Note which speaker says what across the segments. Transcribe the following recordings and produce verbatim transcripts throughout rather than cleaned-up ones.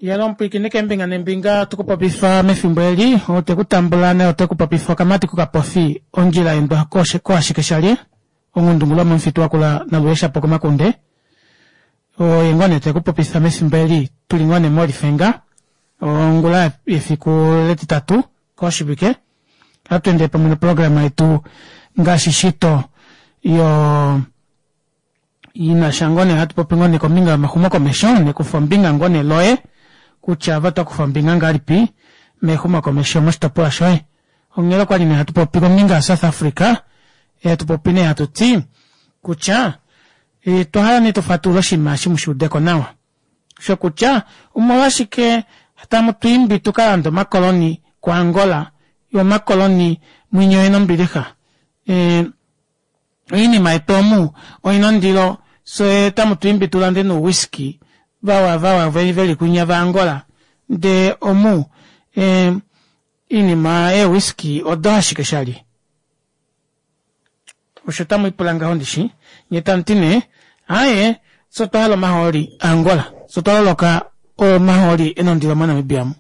Speaker 1: Yalo omupwiikini keembinga neembinga tukupopifa mefimbo eli otekutambula naye otekupopifa okamati kokapofi ondjila endwa koashike shalye onghundungu lomomufitu wakula naluheshapo komakunde oye ngoo nee tekupopifa mefimbo eli tuli ngoo nee molifenga ongula yefiku letitatu koshivike ohatu endele pamwe noprograma yetu ngaashi shito yo inasha ngoo nee hatu popi ngoo nee kombinga yomaxumokomesho nekufombinga ngoo nee loye kutya ove otokufa ombinga ngahelipi mexumokomesho moshitopolwa shoye. Onghela okwali nee hatu popi kombinga ya South Africa hatu popi nee hatuti kutya otwa hala nee tufatulule oshinima eshi mushuudeko nawa shokutya omolwashike tamu twiimbi tukalande omakoloni ko Angola yoo omakoloni mwinya oyena ombilixa ee oinima yetu omu oyina ondilo fyee otamu twiimbi tulande nee ouwhiskey vawa vawa veli kwinya va Angola ndee omu oinima ee whisky odo ashike shali osho tamwiipula ngaho ndishi nyee tamuti nee aaye fyee otwahala omahooli a angola fyee otwa loloka omahooli ena ondilo mo namibia omu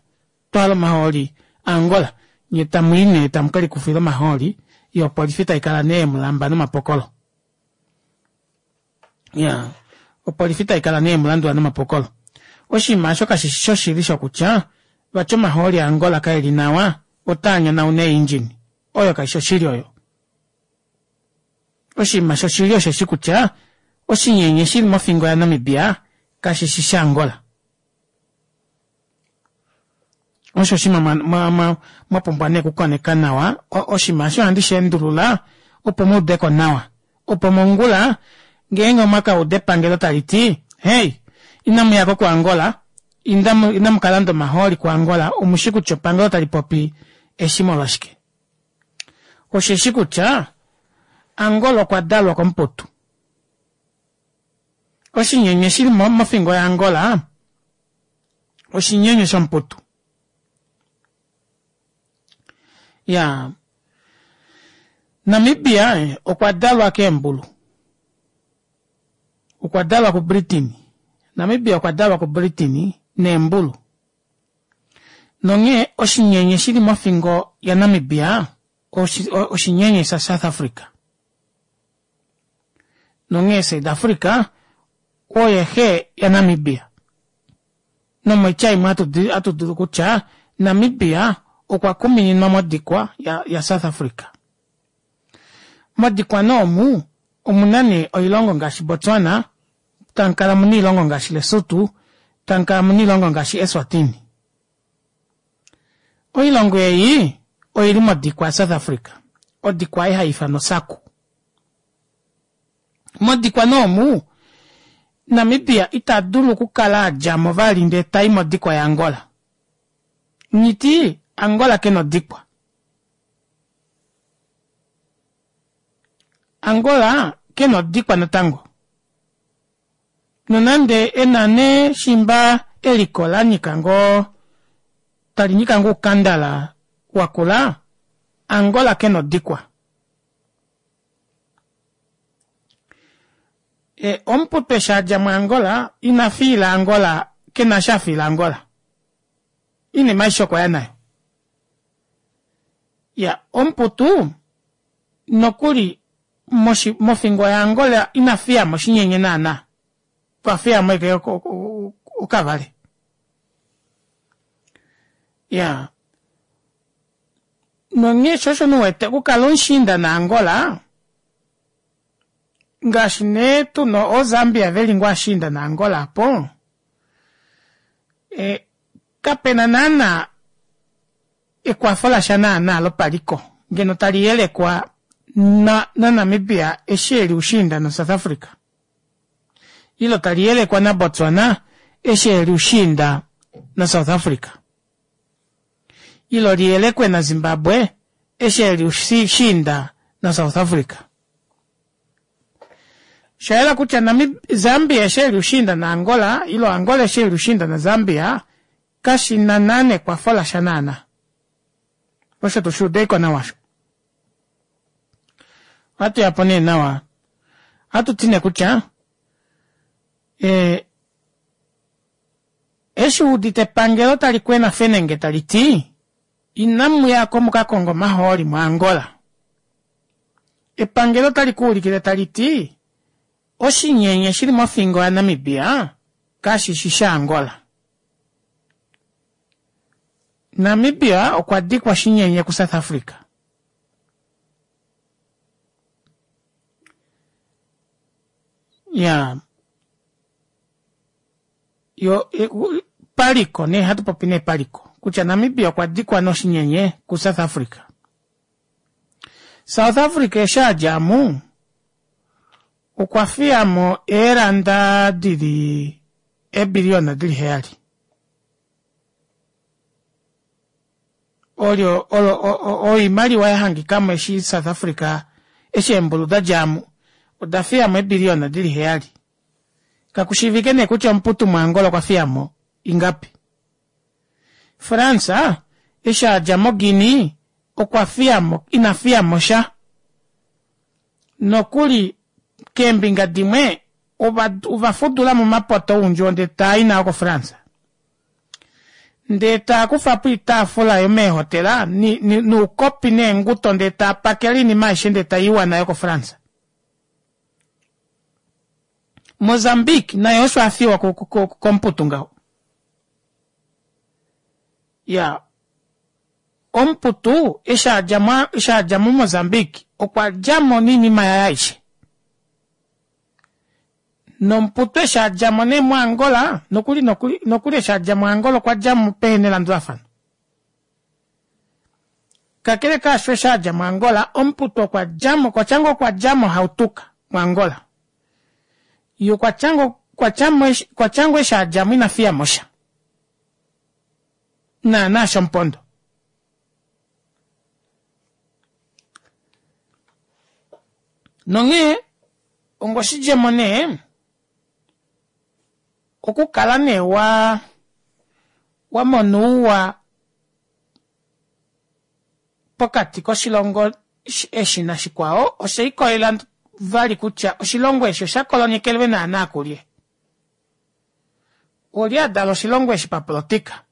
Speaker 1: otwahala omahooli a angola nyee tamwii nee tamukelikufila omahooli yoo opolifi taikala nee yemulamba nomapokolo iyaa opolifi taikala nee yemulandula nomapokolo oshinima aasho kashishi shoshili shokutya vati omahooli a angola kaeli nawa otaanyonauna ee engine oyo kaifi oshili oyo oshinima shoshili osheshi kutya oshinyenye shili mofingo ya namibia kashishi sha angola osho oshinima mwapumbwa nee okukoneka nawa oshinima eshi ohandi sheendulula opo muudeko nawa opo mongula ngeenge omwakauda epangelo taliti hey inamuyako ku Angola inamukalanda omahooli ku Angola omushi kutya epangelo otalipopi eshi molwashike osheshi kutya Angola okwa dalwa komuputu oshinyenye shili mofingo ya Angola oshinyenye shomuputu iyaa Namibia okwa dalwa keembulu okwa dalwa ku Britain Namibia okwa dalwa ku Britain neembulu nonghee oshinyenye shili mofingo ya Namibia oshinyenye sha South Africa nonghee South Africa oye xe ya Namibia nomoitya imwe ohatu dulu kutya Namibia okwa kumininwa modikwa ya South Africa modikwa nee omu omuna nee oilongo ngaashi Botswana tamukala muna oilongo ngaashi Lesotho tamukala muna oilongo ngaashi Eswatini oilongo ei oili modikwa ya South Africa odikwa ei haifanwa oSACU modikwa nee omu Namibia ita dulu okukala adjamo vali ndee tai modikwa ya Angola nghiti Angola kena odikwa Angola kena odikwa natango nonande ena nee shimba eliko lanyika ngoo talinyika ngoo oukandala wakula Angola kena odikwa e omuputu eshi adja mu Angola ina fiila Angola kena eshi afiila Angola oinima aishe okwaya nayo iya omuputu nokuli mofingo ya Angola ina fiyamo oshinyenye naana okwa fiyamo ashike okavale iyaa nonghee sho osho nee uwete okukala omushiinda na Angola ngaashi nee tuna oo Zambia veli ngoo ashiinda na Angola aapo e kapena naana ekwafo lasha naana lopaliko ngeno taliyelekwa na Namibia eshi eli ushiinda na South Africa ile taliyelekwa na Botswana eshi eli ushiinda na South Africa ile liyelekwe na Zimbabwe eshi eli ushiinda na South Africa oshayela kutya Zambia eshi eli ushiinda na Angola ile Angola eshi eli ushiinda na Zambia kashina naana ekwafo lasha naana osho tushuudeko nawa osho ohatuyapo nee nawa ohatuti nee kutya ee Eshi wuudite epangelo tali kwena fenenge tali ti inamu yako mukakonge omahooli moAngola, epangelo otali kuulikile tali ti oshinyenye shili mofingo yaNamibia kashishi shaAngola. Namibia okwa dikwa oshinyenye kuSouth Africa. Iyaa yo paliko nee hatu popi nee paliko kutya Namibia okwa dikwa noshinyenye kuSouth Africa. South Africa eshi adja mu okwa fiyamo eelanda dili eebiliyona dili heyali. Olyo olo oimaliwa yahangikamo eshi South Africa eshi eembulu dadjamo oda fiyamo eebiliyona dili heyali. Kakushiivike nee kutya omuputu moAngola okwa fiyamo ingapi. France eshi adja moGuinea okwa fiyamo ina fiyamo sha. Nokuli keembinga dimwe ovafudulamo omapoto oundjuwo ndee taai nao koFrance. Ndee taakufapo oitaafula yomeehotela noukopi neenguto ndee taapakele oinima aishe ndee taiiwa nayo koFrance. Mozambique naye osho afiwa komuputu ngaho. Iyaa omuputu eshi adja momozambique okwa djamo noinima yaye aishe. Nomuputu eshi adjamo nee moAngola nokuli nokuli eshi adja moAngola okwa djamo pehena elandulafano. Kakele kaasho eshi adja moAngola omuputu okwa djamo okwatya ngoo okwa djamo hautuka moAngola. Yee okwatya ngoo okwatya ngoo eshi adjamo ina fiyamosha. Naana shomupondo. Nonghee onga oshidjemo nee okukala nee waa wamona ouwa pokati koshilongo eshi nashikwao oshelikolelela vali kutya oshilongo eshi osha kolonyekelwe naana kulye. Olye adala oshilongo eshi papolitika.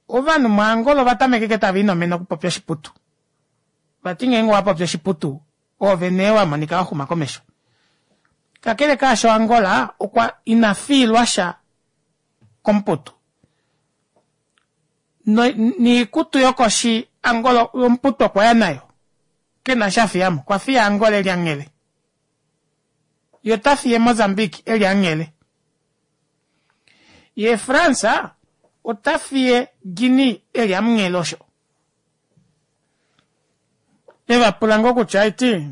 Speaker 1: Ovanhu moAngola ovatameka ashike taviinomene okupopya oshiputu. Vati ngeenge owapopi oshiputu oove nee wamonika waxuma komesho. Kakele kaasho Angola okwa ina fiilwasha komuputu. Niikutu yokoshi Angola omuputu okwaya nayo. Kena eshi afiyamo okwa fiya Angola eli anghele. Yee otafiye Mozambique eli anghele. Yee France otafiye Guinea eli amunghele osho. Evapula ngoo kutya aiti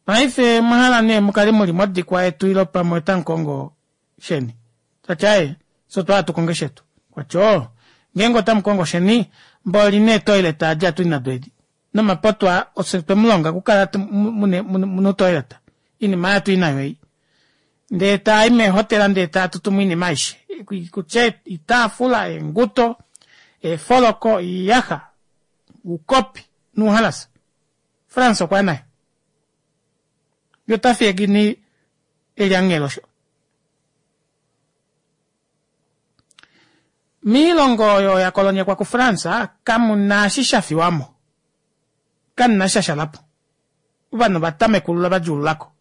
Speaker 1: paife omwahala nee mukale muli modikwa yetu ile pamwe otamukongo sheni. Tati aaye fyee otwahala tukonge shetu. Okwati oo ngeenge otamukongo sheni mboli nee toilet edi hatuli nado edi nomapoto aa ofye twemulonga okukala muna utoilet oinima aayo otuli nayo ei. Ndee taayi meehotela ndee taatutumo oinima aishe kutya oitaafula, eenguto, eefoloko, oiyaxa, oukopi nouhalasa. France okwaya nayo. Yee otafiye Guinea eli anghele osho. Moilongo oyo yakolonyekwa kuFrance kamuna eshi shafiwamo. Kamuna eshi shashalapo. Ovanhu ovatamekulula vadjuululako.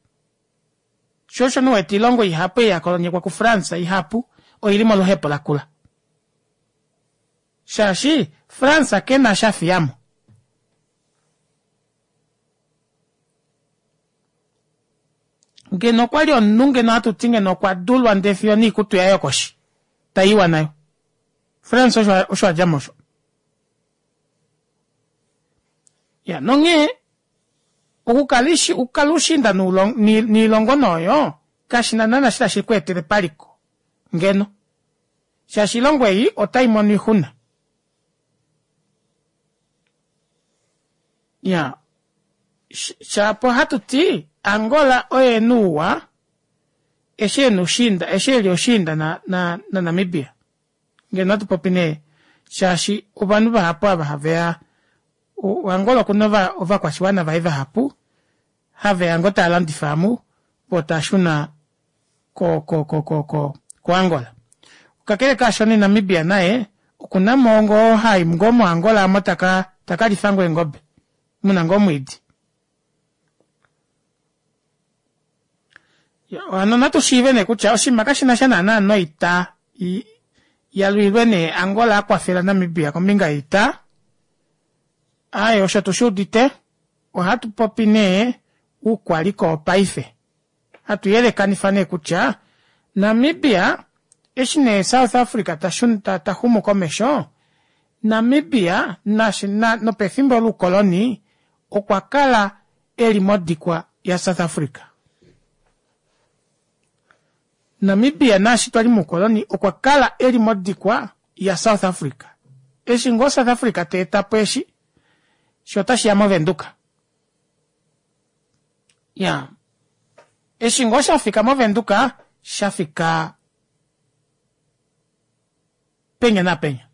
Speaker 1: Shoo osho nee uwete oilongo ihapu ei yakolonyekwa kuFrance ihapu oili moluhepo lakula. Shaashi France kena eshi afiyamo. Ngeno okwali omunhu ngeno ohatuti ngeno okwa dulwa ndee fiyo noikutu yaye yokoshi taiiwa nayo. France osho adjamo osho. Iyaa nonghee okukala okukala ushiinda noilongo nee oyo kashina naana eshi tashi kweetele paliko ngeno shaashi oilongo ei otaimono oixuna. Iyaa shaapo ohatuti Angola oye ena ouwa eshi ena oushiinda eshi eli oushiinda naNamibia. Ngeno ohatupopi nee shaashi ovanhu vahapu ava haveya Angola okuna ovakwashiwana vaye vahapu haveya ngoo taalandifa omu voo taashuna ko ko ko ko ko koAngola. Kakele kaasho nee Namibia naye okunamo ngoo hai ngoo moAngola omo taka taka lifa ngoo eengobe muna ngoo omwiidi. Hano natu shiive nee kutya oshinima kashinasha naana noita yalwilwe nee Angola akwafela Namibia kombinga yoita, aaye osho tushuudite ohatu popi nee oukwaliko wopaife hatu yelekanifa nee kutya Namibia eshi nee South Africa taxumu komesho Namibia nopefimbo loukoloni okwa kala eli modikwa ya South Africa. Namibia naashi twali moukoloni okwa kala eli modikwa ya South Africa. Eshi ngoo South Africa teetapo eshi shoo otashiya movenduka. Iyaa eshi ngoo shafika movenduka shafika penya naapenya.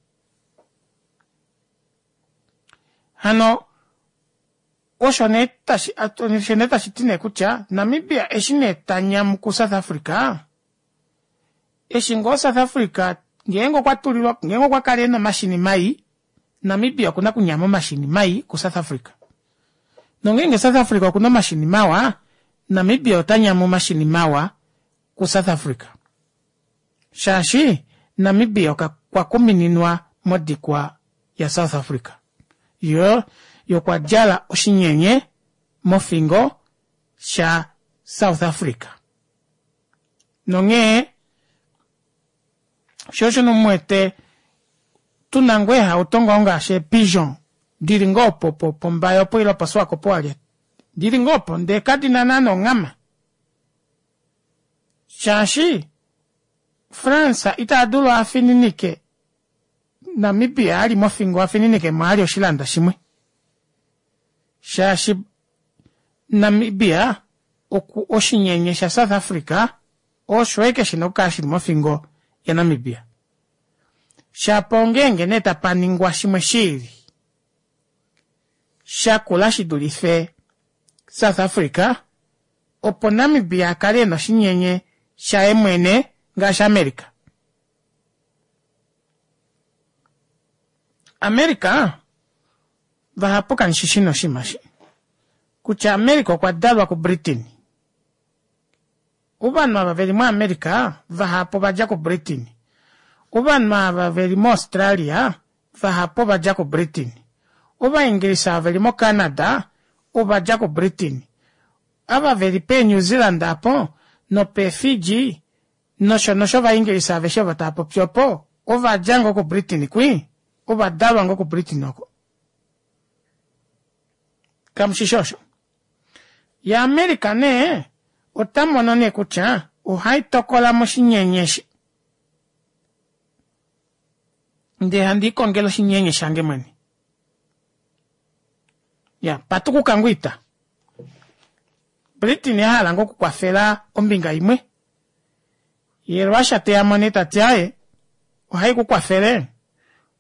Speaker 1: Hano osho nee tashi osho nee tashiti nee kutya Namibia eshi nee tanyamu ku South Africa eshi ngoo South Africa ngeenge okwa tulilwa ngeenge okwa kala ena omashini mai Namibia okuna okunyama omashini mai ku South Africa. Nongeenge South Africa okuna omashini mawa Namibia ota nyamu omashini mawa ku South Africa. Shaashi Namibia okwa kumininwa modikwa ya South Africa. Yoo okwadjala oshinyenye mofingo sha South Africa. Nonghee shoo osho nee muwete tuna ngoo eehauto ngoo ngaashi ee peugeot dili ngoo opo pombaye opo ile po swakop walye dili ngoo opo ndee kadina naana onghama shaashi France itadulu afininike Namibia ali mofingo afininikemo alye oshilanda shimwe shaashi Namibia oshinyenye sha South Africa osho ashike shina okukala shili mofingo ya Namibia. Shapo ongeenge nee tapaningwa shimwe shiili shakula shidulife South Africa opo Namibia akale ena oshinyenye shaye mwene ngaashi America. America vahapu kamushishi nee oshinima eshi kutya America okwa dalwa ku Britain. Ovanhu ava veli mo America vahapu ovadja ku Britain. Ovanhu ava veli mo Australia vahapu ovadja ku Britain. Ovaingilisa ava veli mo Canada ovadja ku Britain. Ava veli pee New Zealand aapo nopee Fiji nosho nosho ovaingilisa aveshe ovo taapopi opo ovadja ngoo ku Britain kwii ovadalwa ngoo ku Britain oko. Kamushishi osho? Ya America nee otamono nee kutya ohaitokola moshinyenye eshi ndee handi ikongele oshinyenye shange mwene. Ya patukuka ngoo oita. Britain ahala ngoo okukwafela ombinga imwe yee Russia teyamo nee tati aaye ohaikukwafele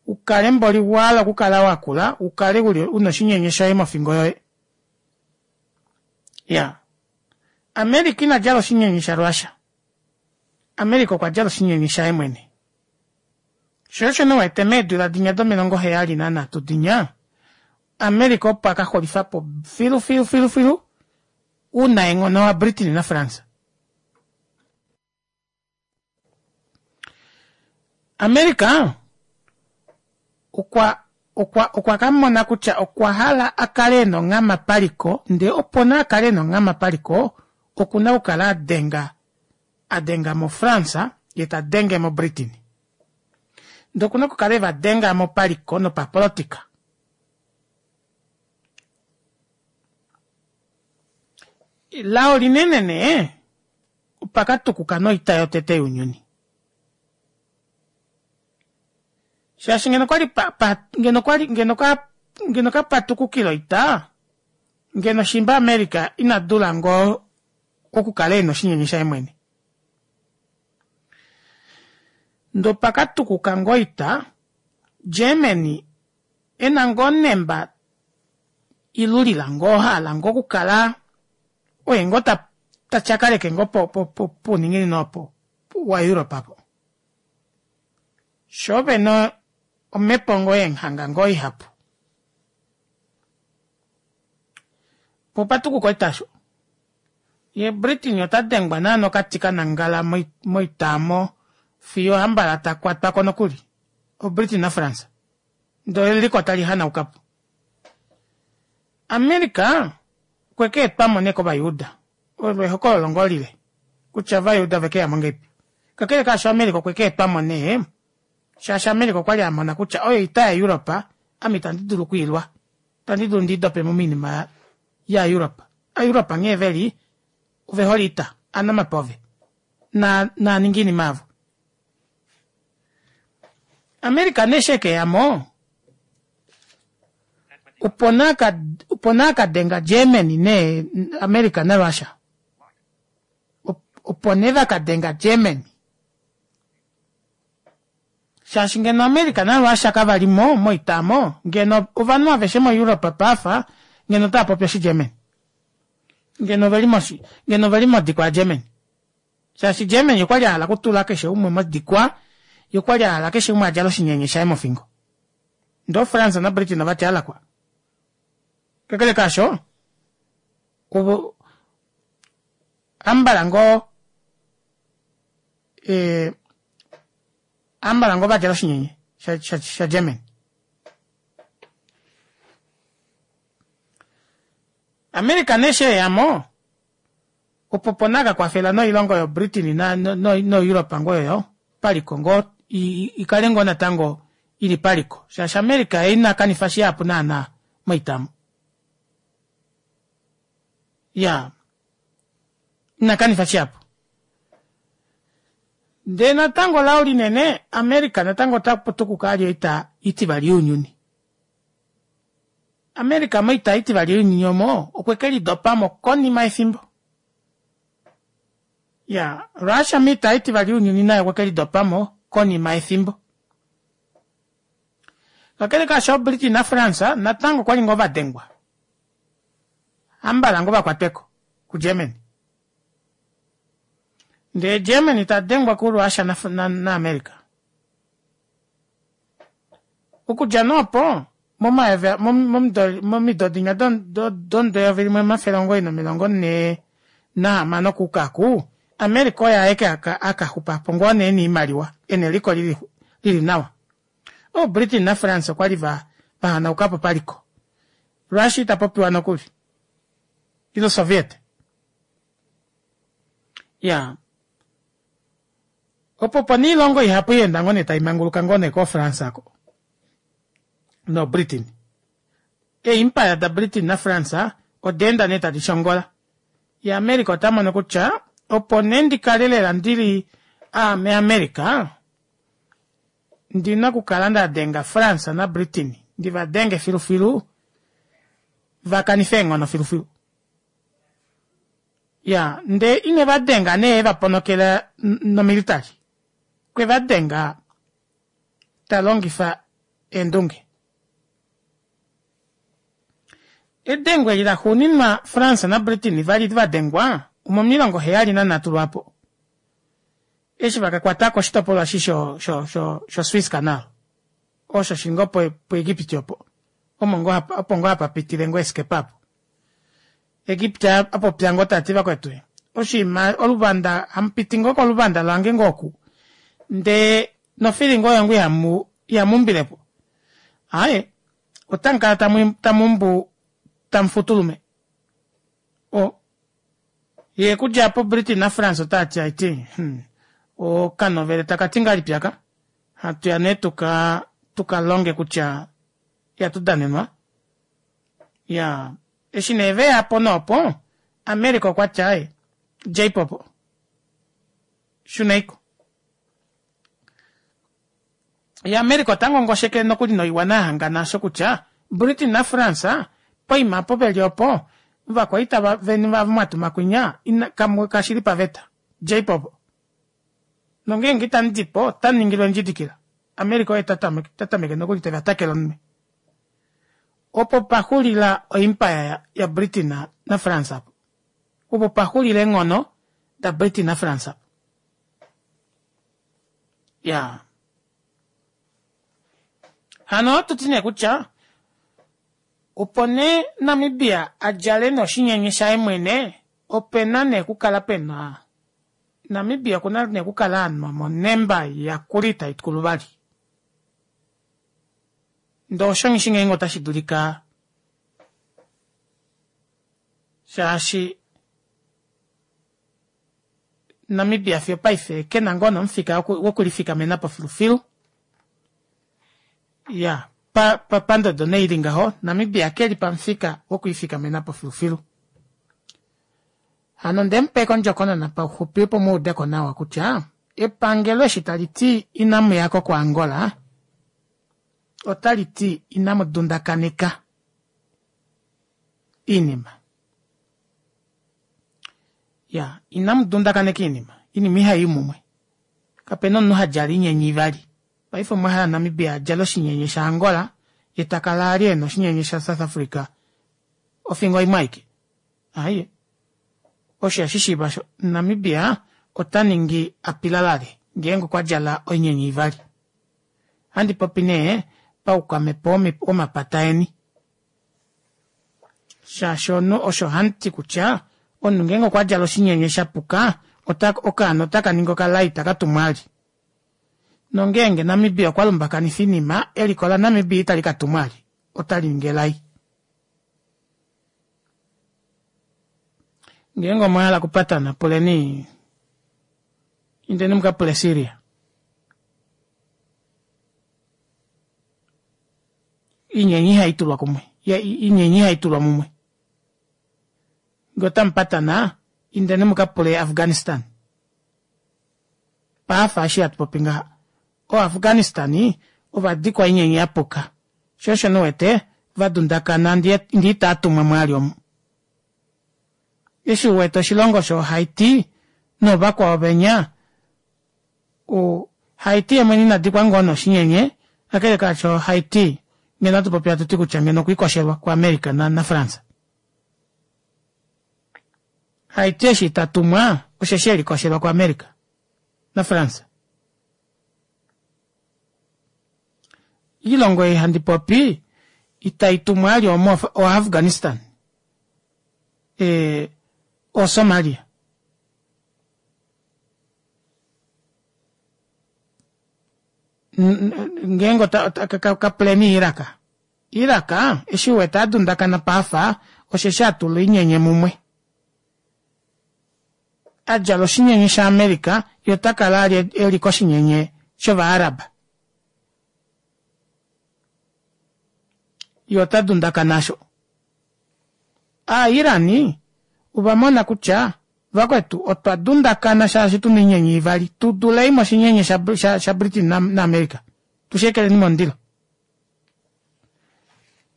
Speaker 1: ukale mboli wahala okukala wakula ukale una oshinyenye shoye mofingo yoye. Iyaa America inadjala oshinyenye sha Russia. America okwa djala oshinyenye shaye mwene. Shoo osho nee uwete meedula dinya domilongo heyali nanhatu dinya America opo akaxulifapo filu filu filu filu ounaenghono wa Britain na France. America okwa okwa okwa kamona kutya okwa hala akale ena onghama paliko ndee opo nee akale ena onghama paliko okuna okukala adenga adenga mo France yee tadenge mo Britain. Ndee okuna okukala evadengamo paliko nopapolitika. Lao linene nee opakatukuka noita yotete younyuni. Shaashi ngeno okwali ngeno okwali ngeno ngeno kapatukukile oita ngeno shimba America ina dula ngoo okukala ena oshinyenye shaye mwene. Ndee opakatukuka ngoo oita Germany ena ngoo onemba ilulila ngoo ahala ngoo okukala oye ngoo tatyakaleke ngoo pouninginino opo waEurope apo. Shoo vena omhepo ngoo yeenghanga ngoo ihapu. Poo opatukuka oita aasho. Yee Britain otadengwa naana okati kanangala moita aamo fiyo hambala takwatwako nokuli o Britain na France ndee eliko tali hanaukapo. America okwekeetwamo nee kovayuuda olo ehokololo ngoo lile kutya ovayuuda ovekeyamo ngahelipi kakele kaasho America okwekeetwamo nee shaashi America okwali amona kutya oyo oita ya Europe ame itandi dulu okwiilwa itandi dulu ndiidopemo moinima ya Europe. Europe nghee veli ovehole oita anamape ove naaninge oinima yavo. America nee eshi ekeyamo opo nee akadenga Germany nee America na Russia opo nee vakadenga Germany shaashi ngeno America na Russia kavalimo moita aamo ngeno ovanhu aveshe mo Europe paife ngeno otaapopi oshi Germany ngeno oveli moshi ngeno oveli modikwa ya Germany shaashi Germany okwali ahala okutula keshe umwe modikwa yee okwali ahala keshe umwe adjale oshinyenye shaye mofingo ndee France na Britain ovati alakwa kakele kaasho ovo ambala ngoo ambala ngoo vadjala oshinyenye sha Germany. America nee eshi eyamo opo opo nee akakwafela noilongo yo Britain no Europe ngoo oyo paliko ngoo ikale ngoo natango ili paliko shaashi America yee inakanifa shihapu naana moita aamo. Iyaa inakanifa shihapu. Ndee natango lao linene America natango otaputukuka vali oita itivali younyuni. America moita itivali younyuni omo okwekelidopamo konima yefimbo. Iyaa Russia moita itivali younyuni naye okwekelidopamo konima yefimbo. Kakele kaasho Britain na France natango okwali ngoo vadengwa. Hambala ngoo vakwatweko ku Germany. Ndee Germany tadengwa ku Russia na America. Okudja nee opo momido dinya domudo eyovi limwe omafele omugoyi nomilongo nhee nahamano okuuka aaku America oye aeke akaxupapo ngoo nee ena oimaliwa ena eliko lili nawa. Oo Britain na France okwali vahanaukapo paliko. Russia itapopiwa nokuli ile Soviet. Iyaa opo opo nee oilongo ihapu yaenda ngoo nee taimanguluka ngoo nee koo France aako no Britain. Ee empire da Britain na France odaenda nee tadi shongola yee America otamono kutya opo nee ndikale lela ndili aame America ondina okukala ndadenga France na Britain ndivadenge filufilu vakanife eenghono filufilu. Iyaa ndee inevadenga nee evaponokela nomilitary okwevadenga talongifa eendunge. Edengo eli laxuuninwa France na Britain vali vadengwa omomilongo heyali nanhatu lwaapo eshi vakakwatako oshitopolwa eshi sho sho sho Suez canal osho shili ngoo pu Egypt opo omo ngoo opo ngoo hapapitile ngoo eeskepa aapo. Egypt apopya ngoo tati vakwetu oshiima oluvanda hamupiti ngoo koluvanda lange ngoo oku ndee nofilinga oyo ngoo ihamu ihamuumbilepo aaye otamukala tamuumbu tamufutulume o yee okudja aapo Britain na France otaati aiti hmm okanovele takati ngahelipi aka hatuya nee tuka tukalonge kutya ihatu danenwa iyaa eshi nee veyapo nee opo America okwati aaye djeipo opo shuneiko. Ye America ota ngongosheke nokuli noiwana yahangana osho kutya Britain na France poima opo veli opo ovakwaita veni ava mwatuma kwinya kashili paveta djeipo opo nongeenge itamudipo otamuningilwa endjidikila. America oye tatameke nokuli tevatakele omunwe. Opo paxulila o empire ya Britain na France apo. Opo pa xulila eenghono daBritain naFrance. Ya. Hano ohatu ti nee kutya opo nee Namibia a djale nee oshinyenye shaye mwene opena nee okukala pena Namibia okuna nee okukala anwa monemba yakula ita ikulu vali. Ndee osho nghishi ngeenge otashi dulika shaashi Namibia fiyo opaife kena ngoo nomufika wokulifikamenapo filufilu. Iya pa pandodo nee ili ngaho Namibia keli pamufika wokwiifikamenapo filufilu. Hano ndemupa ashike ondjokonona pauxupi opo muudeko nawa kutya epangelo eshi taliti inamuyako ko Angola otaliti inamu dundakaneka oinima. Iya inamu dundakaneka oinima, oinima ihayi mumwe. Kapena omunhu hadjala oinyenye ivali. Paife omwahala Namibia adjale oshinyenye sha Angola yee takala ali ena oshinyenye sha South Africa ofingo imwe aike? Aaye osho ihashishiiva osho. Namibia ota ningi apilalale ngeenge okwa djala oinyenye ivali. Ohandi popi nee paukwamhepo womapata eni. Shaashi omunhu osho hamuti kutya omunhu ngeenge okwa djala oshinyenye shapuka ota okaana otaka ningi okalai taka tumwa ali. Nongeenge Namibia okwa lumbakanifa oinima eliko laNamibia itali katumwa ali otali ningi elai. Ngeenge omwahala okupatana puleni indeni mukapule Syria. Oinyenye ihaitulwa kumwe oinyenye ihaitulwa mumwe. Ngee otamupatana indeni mukapule Afghanistan. Paafa eshi hatu popi ngaha o Afghanistan ovadikwa oinyenye yapuka shoo osho nee uwete vadundakana ndee itaatumwa mwaali omu. Eshi uwete oshilongo sho Haiti noovakwao venya o Haiti yeemwene inadikwa ngoo nee oshinyenye kakele kaasho Haiti ngeno ohatu popi hatuti kutya ngeno okwiikoshelwa ku America naFrance. Haiti eshi itatumwa osheshi elikoshelwa ku America naFrance. Oilongo ei handi popi itai tumwa ali omo o Afghanistan, ee o Somalia. Ngeenge kapuleni Iraq. Iraq eshi uwete adundakana paafa osheshi atula oinyenye mumwe. Adjala oshinyenye sha America yee otakala ali eli koshinyenye shova Arab. Yee ota dundakana aasho. Aa Iran ovamona kutya vakwetu otwa dundakana shaashi tuna oinyenye ivali tudulei moshinyenye sha, sha Britain naAmerica tusheekeleni momundilo.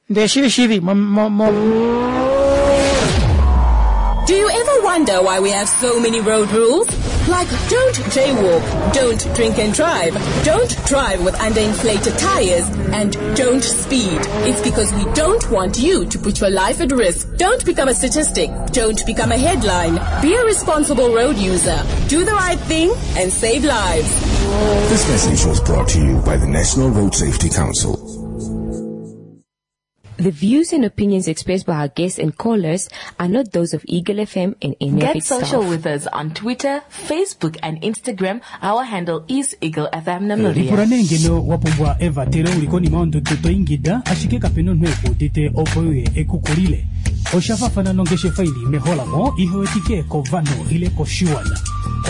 Speaker 1: Ndee shili shili mo, mo, mo
Speaker 2: Do you ever wonder why we have so many road rules? Like don't jaywalk, don't drink and drive, don't drive with underinflated tires, and don't speed. It's because we don't want you to put your life at risk. Don't become a statistic. Don't become a headline. Be a responsible road user. Do the right thing and save lives.
Speaker 3: This message was brought to you by the National Road Safety Council.
Speaker 4: The views and opinions expressed by our guests and callers are not those of Eagle F M and any of
Speaker 5: Get
Speaker 4: its
Speaker 5: social
Speaker 4: staff.
Speaker 5: with us on Twitter, Facebook and Instagram. Our handle is Eagle F M Namibia.
Speaker 6: Lipula nee ngeno wa pumbwa evatelo uli konima yondudu to ingida, ashike kapena omunhu ekuudite opo uye ekukulile. Osha faafana nongeshefa ili meholamo ihewetike kovanhu ile koshiwana.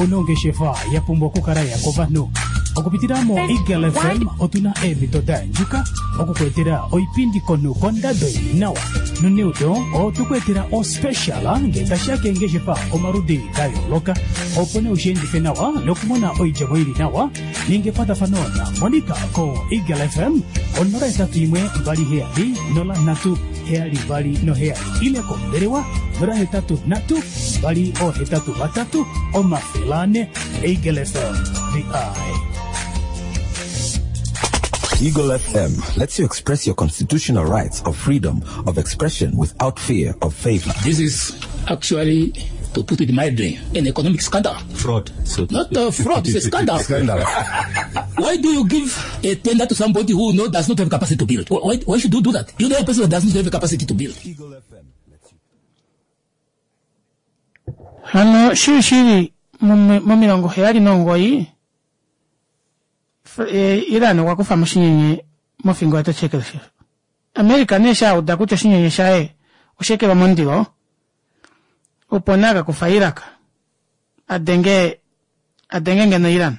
Speaker 6: Onongeshefa ya pumbwa okukala ya kovanhu. Okupitila mo Eagle F M otuna eemhito da yandjuka okukuetela oipindi konhu kondado ili nawa. Noneudo otukuetela ospecial nge tashiya keengeshefa omaludi da yooloka. Opo nee ushiendife nawa nokumona oidjemo ili nawa, ninga ekwatafano na Monica ko Eagle F M onola hetatu imwe mbali heyali nola nhatu heyali mbali noheyali ile kombelewa nola hetatu nhatu mbali ohetatu vatatu omafele ane. Eagle F M, the eye.
Speaker 3: Eagle F M lets you express your constitutional rights of freedom of expression without fear of favor.
Speaker 7: This is actually To put it mildly, an economic scandal.
Speaker 8: Fraud. So
Speaker 7: Not a fraud, it's a scandal.
Speaker 3: Scandal.
Speaker 7: Why do you give a tender to somebody who no, does not have capacity to build? Why, why should you do that? You know a person that does not have the capacity to build.
Speaker 1: Hano shili shili momilongo heyali nomugoyi Iran okwa kufa mo oshinyenye mofingo yateshi ekelesha. America nee shauda kutya oshinyenye shaye oshaekelwa momundilo opo nee akakufa Iraq adenge adenge ngeno Iran.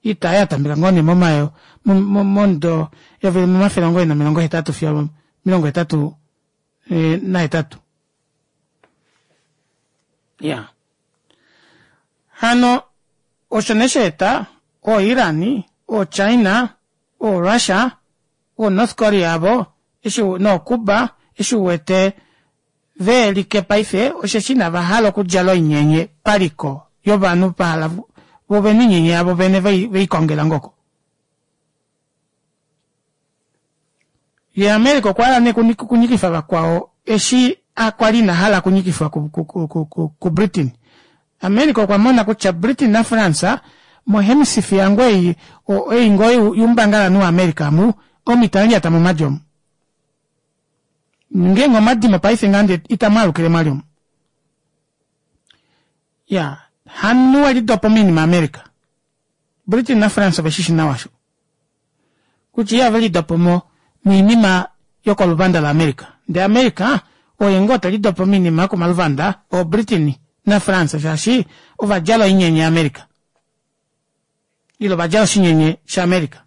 Speaker 1: Oita aayo yatameka ngoo nee momayo momudo eyovi limwe omafele omugoyi nomilongo hetatu fiyo omilongo hetatu nahetatu. Iyaa hano osho nee shaeta oo Iran, oo China, oo Russia, oo North Korea avo noo Cuba eshi uwete veelike paife osheshi inavahala okudjala oinyenye paliko yovanhu vahala voo ovena oinyenye yavo vene veikongela ngoo oko. Yee America okwahala nee okunyikifa vakwao eshi kwali inahala okunyikifwa ku Britain. America okwa mona kutya Britain na France mo hemisphere ngoo ei ei ngoo youmbangalanhu wa America omu omo itamulyata momadi omu. Ngeenge omwadimo paife ngaha itamwaalukile mwali omu. Iyaa hamunhu welidopa moinima ya America. Britain na France oveshishi nawa osho. Kutya ihavelidopomo moinima yokoluvanda la America. Ndee America oye ngoo telidopo moinima yokomaluvanda oo Britain na France shaashi ovadjala oinyenye ya America. Ile ovadjala oshinyenye sha America.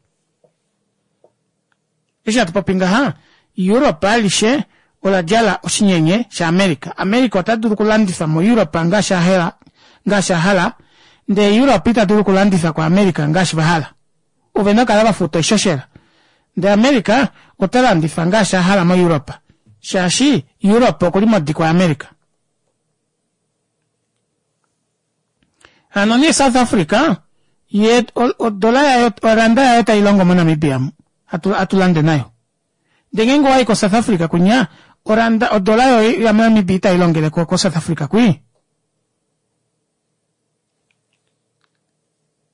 Speaker 1: Eshi hatu popi ngaha Europe alishe oladjala oshinyenye sha America. America ota dulu okulandifa mo Europe ngaashi ahala ngaashi ahala ndee Europe ita dulu okulandifa ko America ngaashi vahala. Ovena okukala vafuta oishoshela. Ndee America ota landifa ngaashi ahala mo Europe shaashi Europe okuli modikwa ya America. Hano nee South Africa yee odola yaye oranda yaye tailongo mo Namibia omu hatu lande nayo. Ndee ngeenge owayi ko South Africa kunya oranda odola yoye ya Namibia itailongele ko South Africa kwii.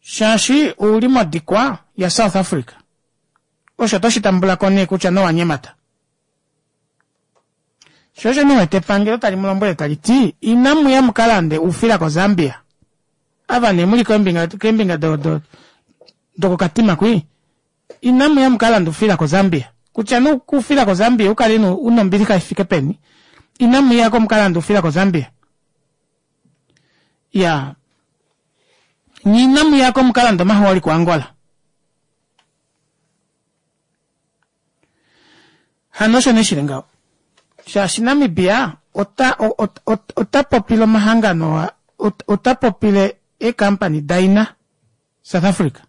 Speaker 1: Shaashi ouli modikwa ya South Africa. Osho oto shitambulako nee kutya nowanyemata. Sho osho nee uwete epangelo tali mulombwele tali ti inamuya mukalande oufila ko Zambia. Ava nee muli keembinga keembinga do do dokokatima kwii inamuya mukalande oufila ko Zambia. Kutya nee oufila ko Zambia ukale una ombilixa ifike peni inamuyako mukalande oufila ko Zambia. Iyaa nye inamuyako mukalande omahooli ko Angola. Hano osho nee shili ngaho shaashi Namibia ota ota popile omahangano ota popile eecompany daina South Africa.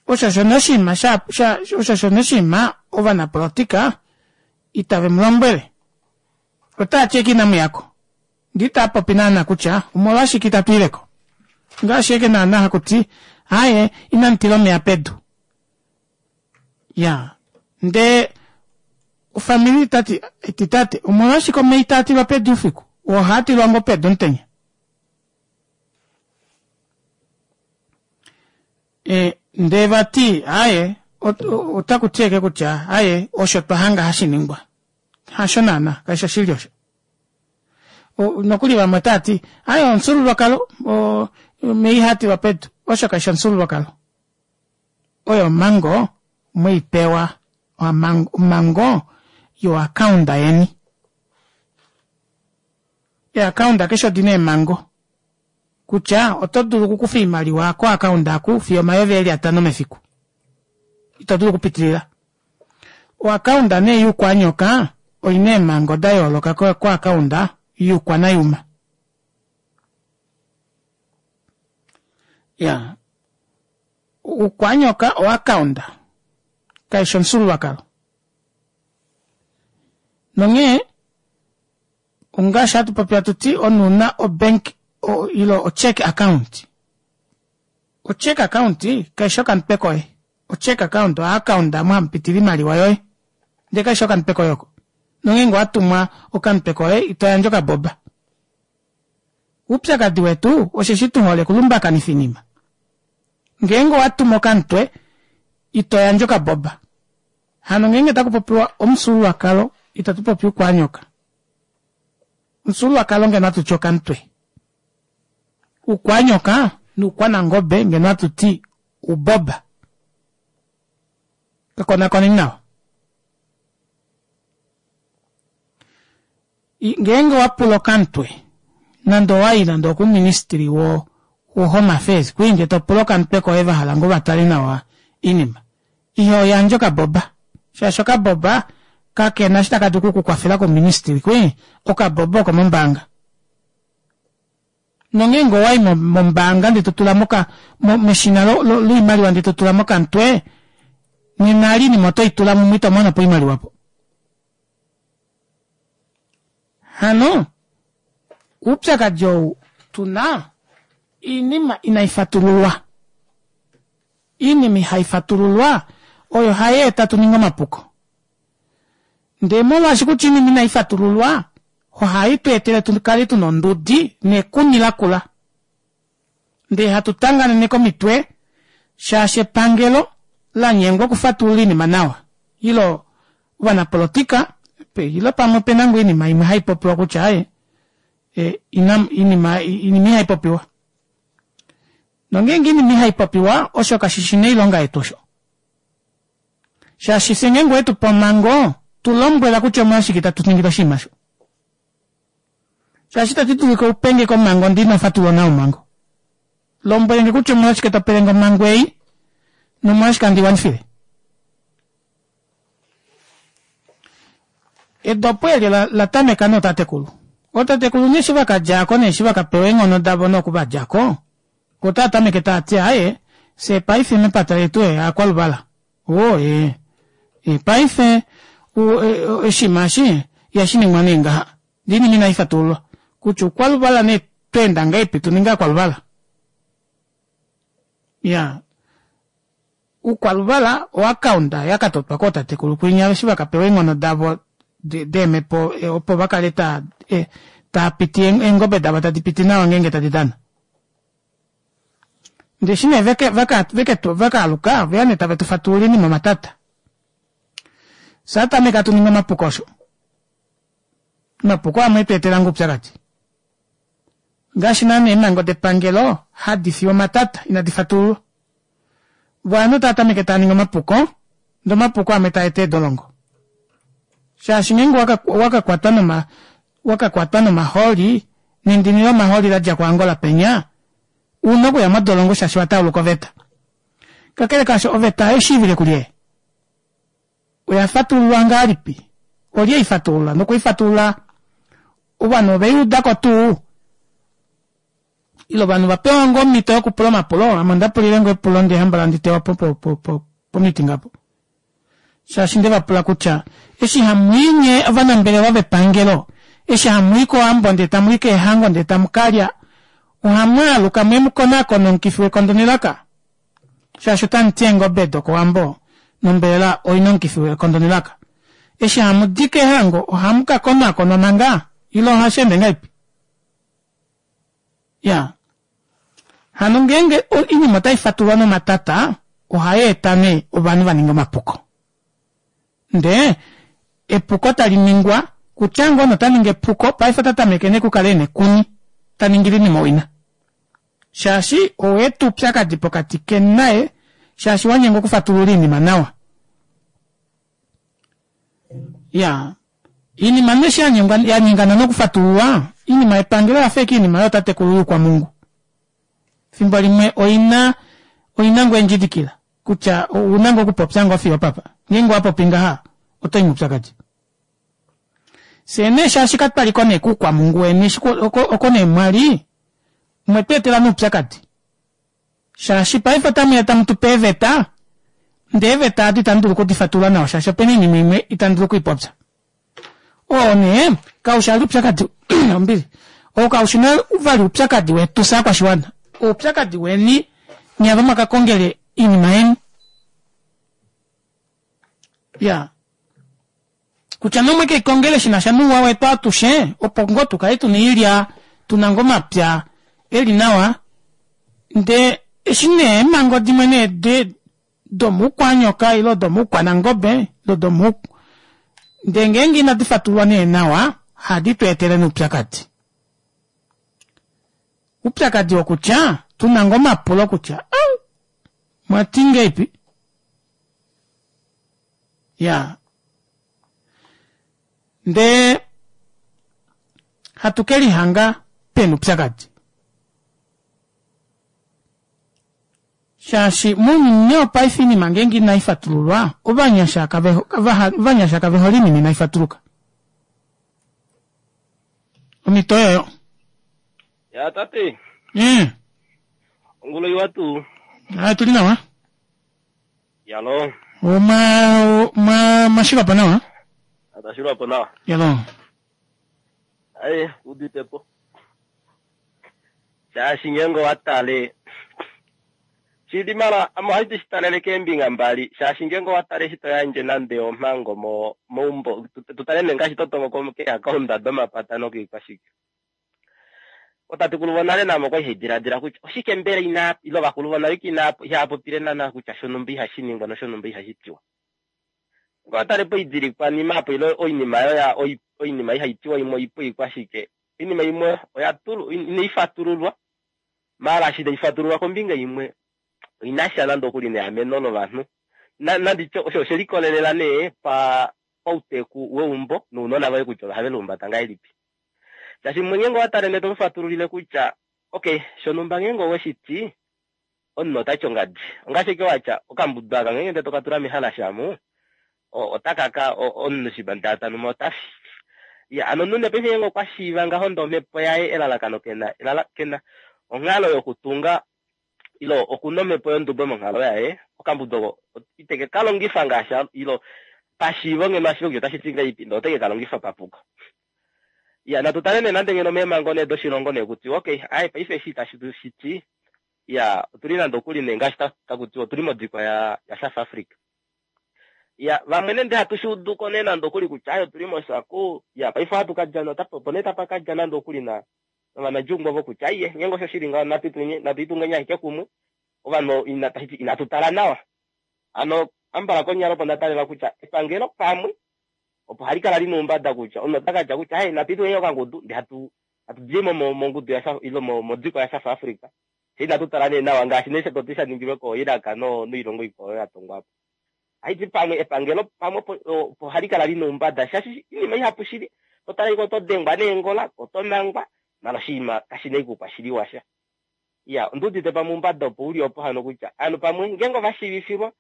Speaker 1: Osho osho nee oshinima sha osho osho nee oshinima ovanapolitika itave mulombwele. Otaati ashike inamuyako ndee itaapopi naana kutya omolwashike itatu ileko. Ngaashi ashike naana hakuti aaye inamutila omeya pedu. Iyaa ndee ofamili tati eti tate omolwashike omeya itaatilwa pedu oufiku oo ohaatilwa ngoo pedu omutenya. E ndee vati aaye otakuti ashike kutya aaye osho twahanga hashiningwa. Hasho naana kaifi oshili osho. Nokuli vamwe otaati aaye omufyuululwakalo omeya ihaatilwa pedu osho kaifi omufyuululwakalo. Oyo omhango mweipewa omhango yoakaunda yeni. Eeakaunda keshe odina eemhango kutya oto dulu okukufa oimaliwa koakaunda aku fiyo omayovi eli atano mefiku. Ito dulu okupitilila. Oakaunda nee youkwanyoka oina eemhango dayooloka koakaunda youkwanayuma. Iyaa oukwanyoka oakaunda kaifi omufyuululwakalo. Nonghee ongaashi hatu popi hatu ti omunhu ouna obank ile ocheck account. Ocheck account kaifi okamutwe koye. Ocheck account oakaunda omo hamupitile oimaliwa yoye ndee kaifi okamutwe koye oko. Nongeenge owatumwa okamutwe koye itoyandje okaboba. Oupyakadi wetu osheshi tuhole okulumbakanifa oinima. Ngeenge owatumu okamutwe itoyandje okaboba. Hano ngeenge takupopiwa omufyuululwakalo ita tupopi oukwanyoka. Omufyuululwakalo ngeno ohatuti okamutwe. Oukwanyoka noukwanangobe ngeno ohatuti ouboba. Kakonakoneni nawa. Ngeenge owapula okamutwe nande owayi nande okuministry wo wo home affairs kwii ndee topula okamutwe koye vahala ngoo vatale nawa oinima ihoyandje okaboba shaashi okaboba kakena eshi takadulu okukukwafela kouministry kwii okaboba okomombaanga. Nongeenge owayi mombaanga ndee totula moka meshina loimaliwa ndee totulamo okamutwe nena eli oinima otoitula mumwe itomonopo oimaliwa aapo. Hano oupyakadi ou tuna oinima inaifatululwa. Oinima ihaifatululwa oyo hayeeta tuninge omapuko. Ndee molwaashi kutya oinima inaifatululwa ohaitweetele tukale tuna ondudi nekuni lakula. Ndee hatu tanganene komitwe shaashi epangelo lanyengwa okufatulula oinima nawa ile ovanapolitika ile pamwe opena ngoo oinima imwe haipopiwa kutya aaye oinima ihaipopiwa. Nongeenge oinima ihaipopiwa osho kashishi nee oilonga yetu osho. Shaashi fyee ngeenge owetupe omhango tulombwela kutya omolwashike itatu ningile oshinima osho. Shaashi ita tidulu upenge omhango ndee inofatulula nawa omhango. Lombwelenge kutya omolwashike topelenge omhango ei nomolwashike handi iwanifile. Edopo eli olatameka nootatekulu. Ootatekulu nee eshi vakadjako nee eshi vakapewa eenghono davo nee oku vadjako otaatameke taati aaye fyee paife mepata letu ee oakwaluvala woo ee paife oshinima eshi ihashiningwa nee ngaha ndee oinima inaifatululwa kutya oukwaluvala nee otwaenda ngahelipi tuninge ovakwaluvala. Iyaa oukwaluvala o account yakatotwa kootatekulu kwinya eshi vakapewa eenghono davo deemepo opo vakale taa taapiti eengobe davo tadipiti nawa ngeenge tadi dana. Ndee eshi nee vakaaluka oveya nee tave tufatululile oinima omatata. Fyee ohatameke hatu ningi omapuko osho. Omapuko amwe etweetela ngoo oupyakadi. Ngaashi naana eemhango depangelo hadi fiwa omatata inadi fatululwa. Voo ovanhu otava taaningi omapuko ndee omapuko amwe taeta eedolongo. Shaashi ngeenge owakakwatwa noma owakakwatwa nomahooli nendini lomahooli ladja ko angola penya ouna okuya modolongo shaashi owatauluka oveta. Kakele kaasho oveta ohaishiivile kulye? Oyafatululwa ngahelipi? Olye eifatulula nokuifatulula ovanhu oveiudako tuu? Ile ovanhu ovapewa ngoo omito yokupula omapulo ame ondapulile ngoo epulo ndee hambala handi tewapo po meeting aapo. Shaashi ndevapula kutya eshi hamwii nyee ovanambelewa vepangelo eshi hamwii kowambo ndee tamwii keehango ndee tamukalya ohamwaaluka muye mukonaakone omukifi wekondo nelaka? Shaashi otamuti eengobe dokowambo nombelela oina omukifi wekondo nelaka. Eshi hamudi keehango ohamukakonaakonwa manga ile ohasheende ngahelipi? Iyaa hano ngeenge oinima otaifatululwa nomatata ohayeeta nee ovanhu vaninge omapuko. Ndee epuko taliningwa kutya ngoo nee otaningi epuko paife otatameke nee okukala ena ekuni taningile oinima owina. Shaashi owaeta oupyakadi pokati keni naye shaashi wanyengwa okufatulula oinima nawa. Iyaa oinima nee eshi yanyengana nokufatululwa oinima yepangelo oyafa ashike oinima yootatekulu youkwamungu. Efimbo limwe oina oina ngoo eendjidikila kutya ouna ngoo okupopya ngoo fiyo opapa ngeenge owapopi ngaha otoyi moupyakadi. Fyee nee shaashi katwaliko nee koukwamungu weni oko nee mwali omwetweetela nee oupyakadi. Shaashi paife otamuya tamutupe eeveta ndee eeveta aado itamu dulu okudifatulula nawa shaashi opena oinima imwe itamu dulu okwiipopya. Oo nee kaushi vali oupyakadi ombili oo kaushi nee vali oupyakadi wetu fyee ovakwashiwana oupyakadi weni nyee ava mwakakongele oinima yeni. Iyaa Kutya nomwe keikongele shina sha nuuwa wetu atushe opo ngoo tukale tuna iilya tuna ngoo omapya eli nawa ndee eshi nee eemhango dimwe nee de domuukwanyoka ile domuukwanangobe ile domu ndee ngeenge inadi fatululwa nee nawa ohadi tu etele noupyakadi. Upyakadi wokutya tuna ngoo omapulo kutya au mwati ngeipi ya ndee hatu kelihanga pena upyakadi shaashi mounyuni wopaife oinima ngeenge inaifatululwa ovanyasha ovanyasha kavehole oinima inaifatuluka. Omhito oyoyo.
Speaker 8: Ya tate.
Speaker 1: Mm.
Speaker 8: Ongula iwa tuu.
Speaker 1: Ah, tuli nawa.
Speaker 8: Yalo.
Speaker 1: Oma ma mashilwapo nawa.
Speaker 8: Atashilwapo nawa.
Speaker 1: Yalo.
Speaker 8: Aye, uditepo. Shaashi ngeenge owatale shili mala ame ohandi shi talele keembinga mbali shaashi ngeenge owatale eshi toyandje nande omhango mo meumbo tutale nee ngaashi totongo keeakaunda domapata nokoikwashike. Otatekulu vonale namo okwali haidiladila kutya oshike mbela ina ile ovakulu vonale ina ihapopile naana kutya shonumba ihashi ningwa noshonumba ihashi tiwa. Ngoo tale poidilikwanima apo ile oinima oyo oinima ihaitiwa imwe oipu ikwashike. Oinima imwe oya tulu inaifatululwa maala eshi taifatululwa kombinga imwe inasha nande okuli neameno lovanhu. Nanditye osho oshelikolelela nee pa pauteku weumbo nounona voye kutya ohave lihumbata ngahelipi. Shaashi mwe ngeenge owatale ndee tomufatululile kutya okay shonumba ngeenge oweshiti omunhu otati ongadi. Ongaashi ashike watya okambudu aka ngeenge ndee tokatula mehalasha amu otakaka omunhu shiba ndee tanuma otafi. Ya hano omunhu nee paife ngeenge okwa shiiva ngaho ndee omhepo yaye elalakano kena elala kena onghalo yokutunga ile okuna omhepo yondubo monghalo yaye okambudu oko iteke kalongifa ngaashi ile pashiivo ngeno ashiive kutya otashi ti ngahelipi ndee oteke kalongifa papuko. Ya natu tale nee nande ngeno meemhango nee doshilongo nee kutiwa okay aye paife eshi itashi shiti ya otuli nande okuli nee ngaashi takutiwa otuli modikwa ya ya South Africa. Ya vamwe nande hatu shuuduko nee nande okuli kutya aye otuli moshaku ya paife ohatu kadja opo nee tapa kadja nande okuli na novanadjungu ovo kutya aiye ngeenge osho shili ngaho natu itungeni ashike kumwe ovanhu ina inatu tala nawa. Hano ambala konyala opo ndatalela kutya epangelo pamwe opo hali kala lina oumbada kutya omunhu ota katya kutya aye natu itungeni okangudu ndee hatu hatu dimo mongudu ya ile modikwa ya South Africa. Fye inatu tala nee nawa ngaashi nee toti sha ningilwe ko Iraq no noilongo ikwao oyo ya tongwa po. Haiti pamwe epangelo pamwe opo hali kala lina oumbada shaashi oinima ihapu shili totala iko oto dengwa neengola oto mangwa mala oshinima kashina oukwashili washa. Ya ondiudite pamwe oumbada opo uli opo hano kutya ovanhu pamwe ngeenge ovashiivifilwa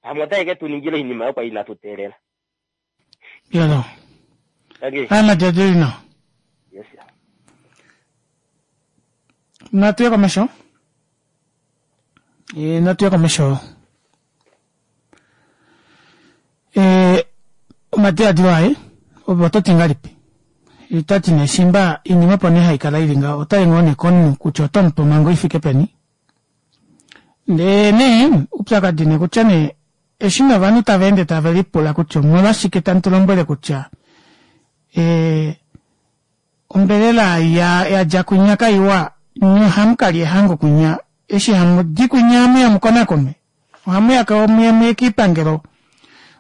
Speaker 8: pamwe otaye ke tu ningila oinima oyo kwali inatu teelela.
Speaker 1: Yalo. Aya nawa.
Speaker 8: Yes.
Speaker 1: Natu ye komesho. E, natu ye komesho. E, omadiladilo aye ove oto ti ngahelipi? Itati nee shimba oinima opo nee haikala ili ngaho otai ngoo nee komunhu kutya oto mupe omhango ifike peni. Ndee nee upyakadi nee kutya nee eshi novanhu tava ende tave lipula kutya omolwashike tamu tu lombwele kutya e, ombelela ya yadja kwinya kaiwa nye ohamu kalya ehango kwinya eshi hamudi kwinya hamuya mukonakonwe ohamuya muye muye kiipangelo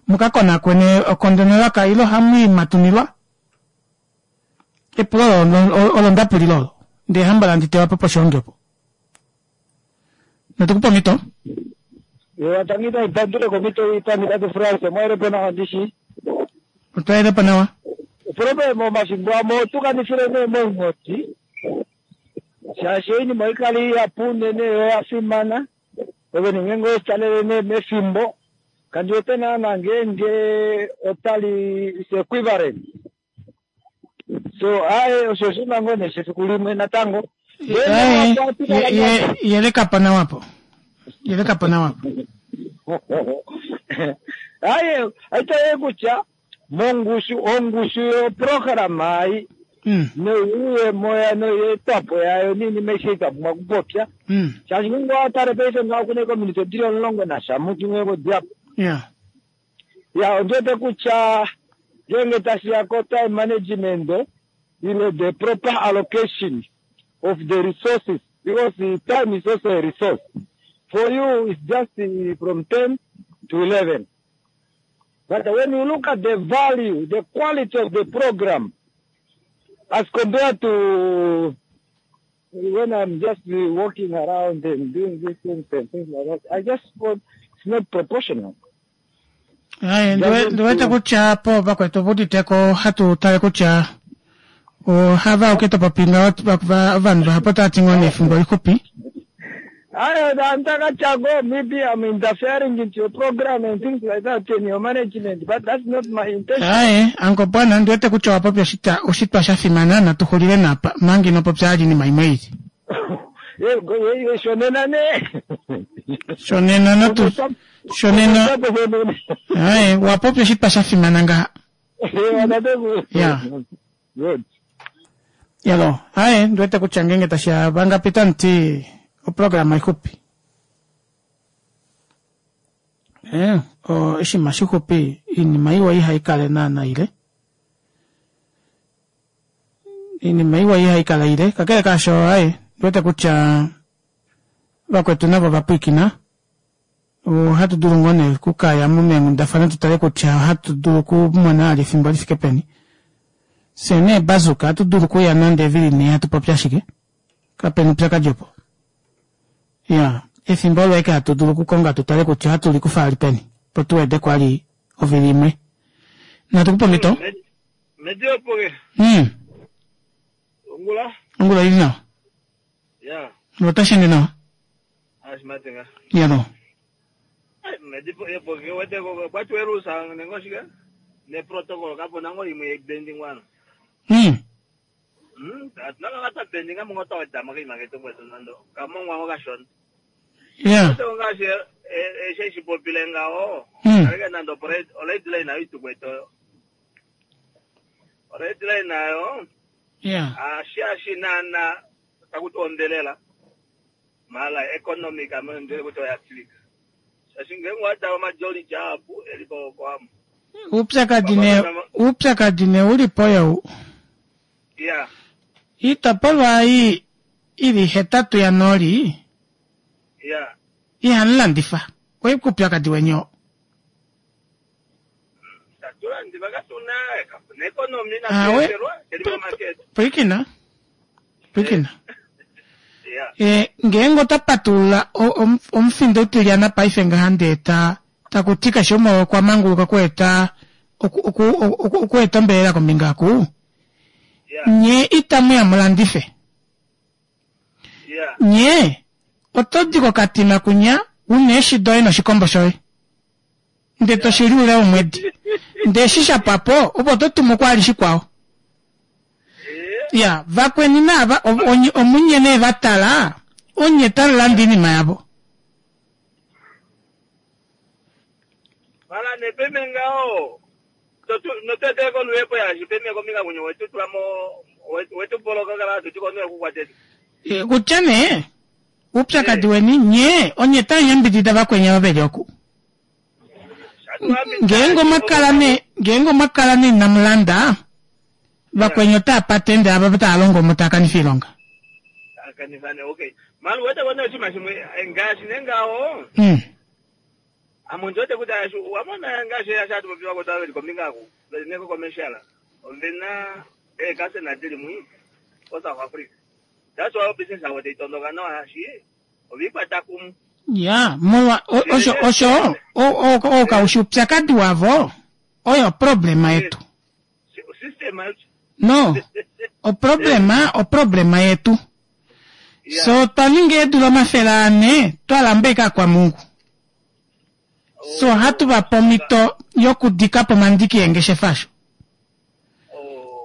Speaker 1: mukakonakone okondo nelaka ile ohamu matunilwa. Epulo olo ndapulila olo ndee hambala ndi tewapo poshihongi opo. Natukupa omhito.
Speaker 9: Watangita ipandule komito ipandi tate France mwaelepo nawa ndishi.
Speaker 1: Otwaelepo nawa.
Speaker 9: Problema omafimbo amwe otukanifile nee moingoti shaashi oinima oikale ihapu unene yo oya fimana ove ngeenge oweshitalele nee mefimbo kandi wete naana ngeenge otali is equivalent so aye osho oshinima ngoo nee shefiku limwe natango.
Speaker 1: Yelekapo nawapo. Yelekapo nawapo.
Speaker 9: Aye aitaye kutya mongushu ongushu yoprograma ai noyuuyemo noyeetwapo yayo niinima aishe itwapumbwa okupopya shaashi ngeenge owatale paife ngaho okuna ecommunity odili omulongo nasha mutumwe kodiapo.
Speaker 1: Ya
Speaker 9: Ya ondiwete kutya Ngeenge tashi ya ko time management ile the proper allocation of the resources, because the time is also a resource. For you, it's just uh, from ten to eleven. But when you look at the value, the quality of the program, as compared to when I'm just uh, walking around and doing these things and things like that, I just want, it's not proportional.
Speaker 1: Aye, ndiwe- ndiwete kutya po vakwetu vuditeko hatu tale kutya ohava uke topopinga ovanhu vahapo tava ngoo nefimbo lixupi.
Speaker 9: I Chago, maybe I'm interfering into your program and things like that in your management, but that's not my intention.
Speaker 1: Aye, anko bwana ndiwete kutya owapopya oshitwa oshitwa sha fimana natuxulile napa manga inopopya ali inima imwe ili.
Speaker 9: Eh, go- eh, eh, shonena ne.
Speaker 1: Shonena natu shonena aye wapopya oshitwa sha fimana ngaha. Yeah.
Speaker 9: Good.
Speaker 1: Yalo, aye ndiwete kutya ngenge tashiya vangapita nti oprograma ixupi. Eh, o oshinima shixupi iinima iwa ihaikale naana ile. Iinima iwa ihaikala ile kakele kaasho aye ndiwete kutya vakwetu navo vapwiikina ohatu dulu ngoo nee okukaya meenghundafana tutale kutya ohatu dulu okumona ali efimbo lifike peni. Fye nee bazuka ohatu dulu okuya nande evili nhee hatu popi ashike kapena oupyakadi opo. Ya, efimbo olo ashike hatu dulu okukonga tutale kutya ohatu likufa ali peni opo tuwedeko ali ovili imwe. Natukupa omhito?
Speaker 10: Mediopoke,
Speaker 1: Mm,
Speaker 10: ongula?
Speaker 1: ongula ili nawa.
Speaker 10: Ya,
Speaker 1: Otashi ende nawa.
Speaker 10: ashimatenga.
Speaker 1: Yalo.
Speaker 10: Mediopoke wete ko kwati werusa nengo shika? Ne protocol kapo nango imwe yebending wana.
Speaker 1: Mm.
Speaker 10: Mm, atinaka kata bending amungo tawa dama ke imaketo kwetu nando. Kamongwa ngo kashona.
Speaker 1: Ya.
Speaker 10: Wete ngaashi eshe shipopile ngaho.
Speaker 1: Mm.
Speaker 10: Aleke nando red line nayo itukweto. Red line nayo.
Speaker 1: Ya.
Speaker 10: Ashi ashi nana takuti ombelela mala economic amene ndele kuti oyatilika shashi ngenge wadawa majoli japu elipo kwamo
Speaker 1: Uupyakadi nee uupyakadi nee ulipo you.
Speaker 10: ya
Speaker 1: Iitopolwa ei ili hetatu ya nooli
Speaker 10: ya
Speaker 1: ihamu landifa. Oikuupyakadi weni oo.
Speaker 10: tatulandiva katuna kapuna economy
Speaker 1: Awe.
Speaker 10: nakuetelwa elipo market
Speaker 1: Pwiikina. Pwiikina.
Speaker 10: ya
Speaker 1: E, ngeenge ota patulula o- om- omufindo utilyana paife ngaha ndee ta takuti keshe umwe okwa manguluka okueta oku- oku- oku- okueta ombelela kombinga aku nye itamu ya mulandife
Speaker 10: ya
Speaker 1: nye oto di kokatima kunya una eeshi doye noshikombo shoye ndee toshili ule womwedi ndee eshi shapwapo opo oto tumu kwali shikwao ya vakweni naava o- onye- omunye nee vatala onye talulanda iinima yavo
Speaker 10: mala nepeme ngao noteteko luhepo yashi peme kombinga kunye wetutulamo wetupoloka kala tutikonoe kukwateti
Speaker 1: E, kutya nee uupyakadi weni nye onye tayambidida vakweni ava veli oku ngeenge omwakala ne ngeenge omwakala ne inamulanda vakweni otava patende ava tava longo omo tava kanifa oilonga
Speaker 10: akanifane okay mala wete kone oshinima shimwe ngaashi nengaho
Speaker 1: Mm.
Speaker 10: amuntu wete kuti ashu wamona ngaashi ashati popiwa kuti aveli kombinga aku neko commercial ovena eekasena dili mwi ko South Africa that's why business avo teitondoka nawa hashi ovikwata kumwe
Speaker 1: ya molwa o- osho osho o- o- okaushi upyakadi wavo oyo oproblema yetu
Speaker 10: system yacho
Speaker 1: no oproblema oproblema yetu so twaninga eedula omafele ane twalamba ika kwa mungu so hatu vape omhito yokudikapo omandiki eengeshefa asho